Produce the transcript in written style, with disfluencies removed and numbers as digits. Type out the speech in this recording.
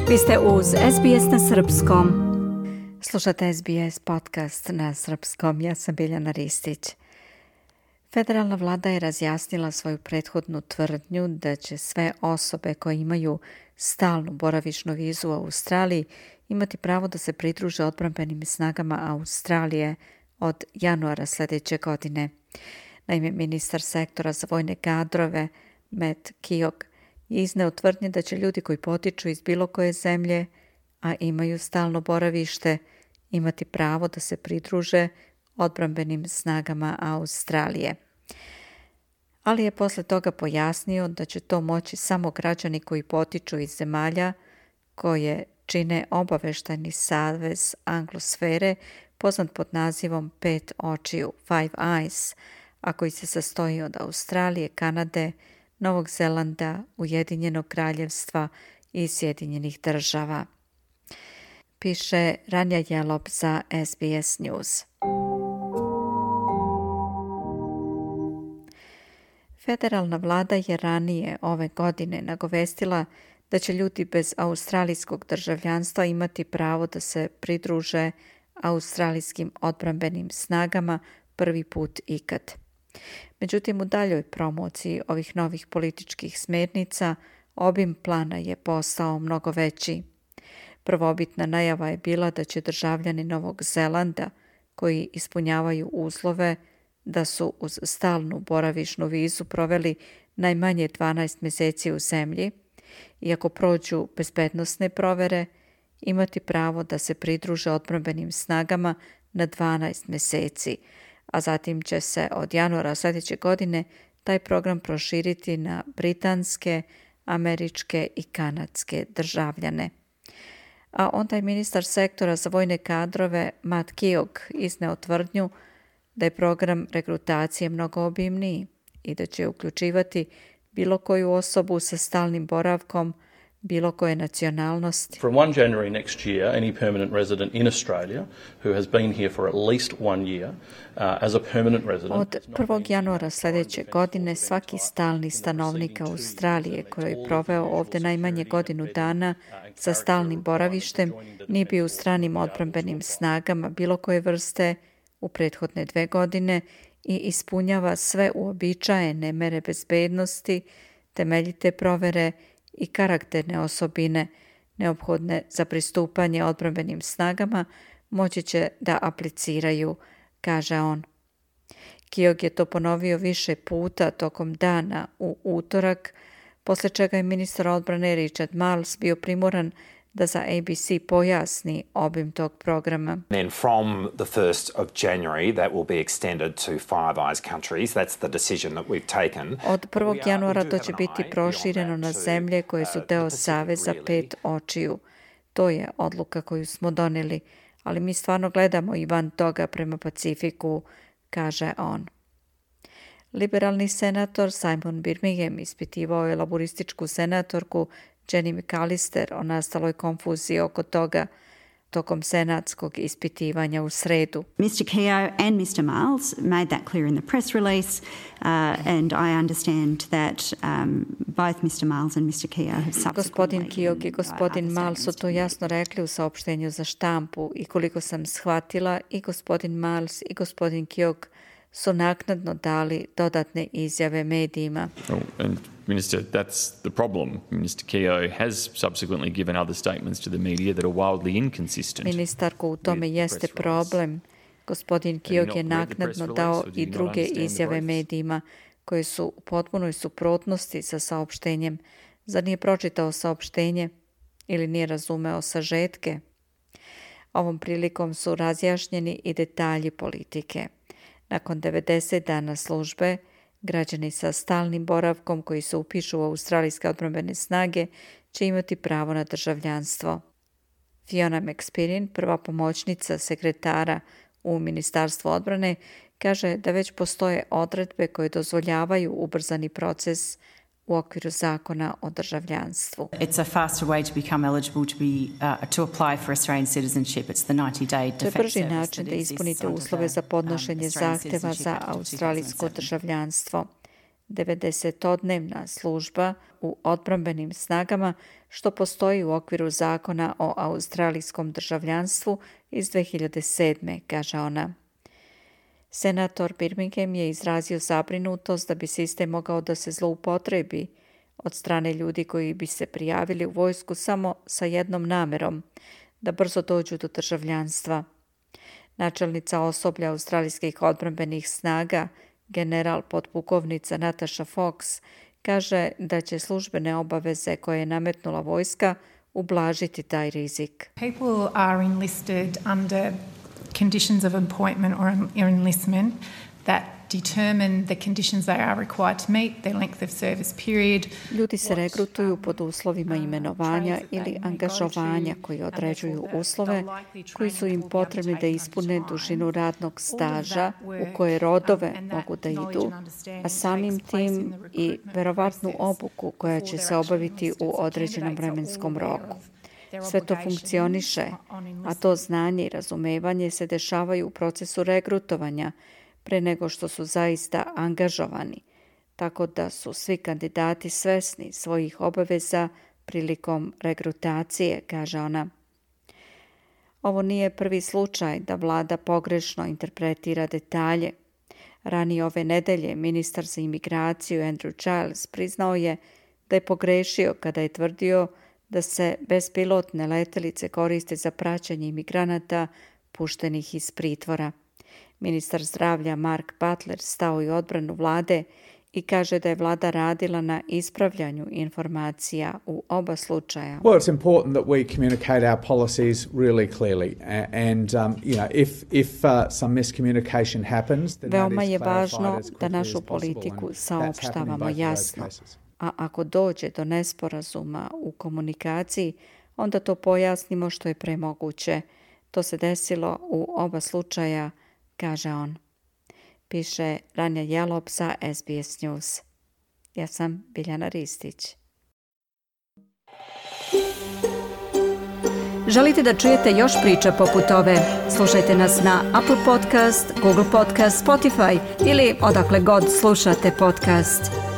Vi ste uz SBS na srpskom. Slušate SBS podcast na srpskom. Ja sam Biljana Ristić. Federalna vlada je razjasnila svoju prethodnu tvrdnju da će sve osobe koje imaju stalnu boravišnu vizu u Australiji imati pravo da se pridruže odbrambenim snagama Australije od januara sljedeće godine. Naime, ministar sektora za vojne kadrove Matt Keogh je izneo tvrdnje da će ljudi koji potiču iz bilo koje zemlje, a imaju stalno boravište, imati pravo da se pridruže odbrambenim snagama Australije. Ali je posle toga pojasnio da će to moći samo građani koji potiču iz zemalja koje čine obaveštajni savez anglosfere poznat pod nazivom 5 očiju, Five Eyes, a koji se sastoji od Australije, Kanade, Novog Zelanda, Ujedinjenog kraljevstva i Sjedinjenih država. Piše Ranja Jelop za SBS News. Federalna vlada je ranije ove godine nagovestila da će ljudi bez australijskog državljanstva imati pravo da se pridruže australijskim odbrambenim snagama prvi put ikad. Međutim, u daljoj promociji ovih novih političkih smjernica obim plana je postao mnogo veći. Prvobitna najava je bila da će državljani Novog Zelanda koji ispunjavaju uslove da su uz stalnu boravišnu vizu proveli najmanje 12 mjeseci u zemlji i ako prođu bezbednosne provere, imati pravo da se pridruže odbrambenim snagama na 12 mjeseci, a zatim će se od januara sljedeće godine taj program proširiti na britanske, američke i kanadske državljane. A onda je ministar sektora za vojne kadrove Matt Keogh izneo tvrdnju da je program rekrutacije mnogo obimniji i da će uključivati bilo koju osobu sa stalnim boravkom, bilo koje nacionalnosti. From 1 January next year, any permanent resident in Australia who has been here for at least 1 year as a permanent resident. Od 1. januara sljedeće godine svaki stalni stanovnik Australije koji je proveo ovdje najmanje godinu dana sa stalnim boravištem nije bio u stranim odbrambenim snagama bilo koje vrste u prethodne 2 godine i ispunjava sve uobičajene mere bezbednosti, temeljite provere i karakterne osobine neophodne za pristupanje odbrambenim snagama moći će da apliciraju, kaže on. Keogh je to ponovio više puta tokom dana u utorak, posle čega je ministar odbrane Richard Marles bio primoran da za ABC pojasni obim tog programa. Then from the 1st of January that will be extended to Five Eyes countries. That's the decision that we've taken. Od 1. januara to će biti prošireno na zemlje koje su deo Saveza 5 očiju. To je odluka koju smo donijeli, ali mi stvarno gledamo i van toga prema Pacifiku, kaže on. Liberalni senator Simon Birmingham ispitivao je laborističku senatorku Jenny McAllister o nastaloj konfuziji oko toga tokom senatskog ispitivanja u sredu. Mr. Keogh and Mr. Marles made that clear in the press release and I understand that both Mr. Marles and Mr. Keogh have subsequently... Gospodin Keogh i gospodin Marles su to jasno rekli u saopštenju za štampu i koliko sam shvatila i gospodin Marles i gospodin Keogh su naknadno dali dodatne izjave medijima. And Minister, that's the problem. Minister Keogh has subsequently given other statements to the media that are wildly inconsistent. Ministarko, u tome jeste problem. Gospodin Keogh je naknadno dao i druge izjave medijima koje su u potpunoj suprotnosti sa saopštenjem. Zar nije pročitao saopštenje ili nije razumeo sažetke? Ovom prilikom su razjašnjeni i detalji politike. Nakon 90 dana službe, građani sa stalnim boravkom koji se upišu u australijske odbrambene snage će imati pravo na državljanstvo. Fiona McSpirin, prva pomoćnica sekretara u Ministarstvu odbrane, kaže da već postoje odredbe koje dozvoljavaju ubrzani proces u okviru zakona o državljanstvu. It's a faster way to become eligible to apply for Australian citizenship. It's the 90-day defence service. To je brži način da ispunite uslove za podnošenje zahtjeva za australijsko državljanstvo. 90-dnevna služba u odbrambenim snagama, što postoji u okviru zakona o australijskom državljanstvu iz 2007. kaže ona. Senator Birmingham je izrazio zabrinutost da bi sistem mogao da se zloupotrebi od strane ljudi koji bi se prijavili u vojsku samo sa jednom namerom, da brzo dođu do državljanstva. Načelnica osoblja australijskih odbrambenih snaga, general podpukovnica Natasha Fox, kaže da će službene obaveze koje je nametnula vojska ublažiti taj rizik. People are enlisted under conditions of appointment or enlistment that determine the conditions they are required to meet, their length of service period. Ljudi se regrutuju pod uslovima imenovanja ili angažovanja koji određuju uslove koji su im potrebni da ispune dužinu radnog staža, u koje rodove mogu da idu, a samim tim i verovatnu obuku koja će se obaviti u određenom vremenskom roku. Sve to funkcioniše, a to znanje i razumevanje se dešavaju u procesu regrutovanja pre nego što su zaista angažovani, tako da su svi kandidati svesni svojih obaveza prilikom regrutacije, kaže ona. Ovo nije prvi slučaj da vlada pogrešno interpretira detalje. Ranije ove nedelje ministar za imigraciju Andrew Giles priznao je da je pogrešio kada je tvrdio da se bespilotne letelice koriste za praćenje imigranata puštenih iz pritvora. Ministar zdravlja Mark Butler stao i odbranu vlade i kaže da je vlada radila na ispravljanju informacija u oba slučaja. Well, it's important that we communicate our policies really clearly, and if some miscommunication happens, then veoma je važno da našu politiku saopštavamo jasno, a ako dođe do nesporazuma u komunikaciji, onda to pojasnimo što je pre moguće. To se desilo u oba slučaja, kaže on. Piše Ranja Jelop za SBS News. Ja sam Biljana Ristić. Želite da čujete još priča poput ove? Slušajte nas na Apple Podcast, Google Podcast, Spotify ili odakle god slušate podcast.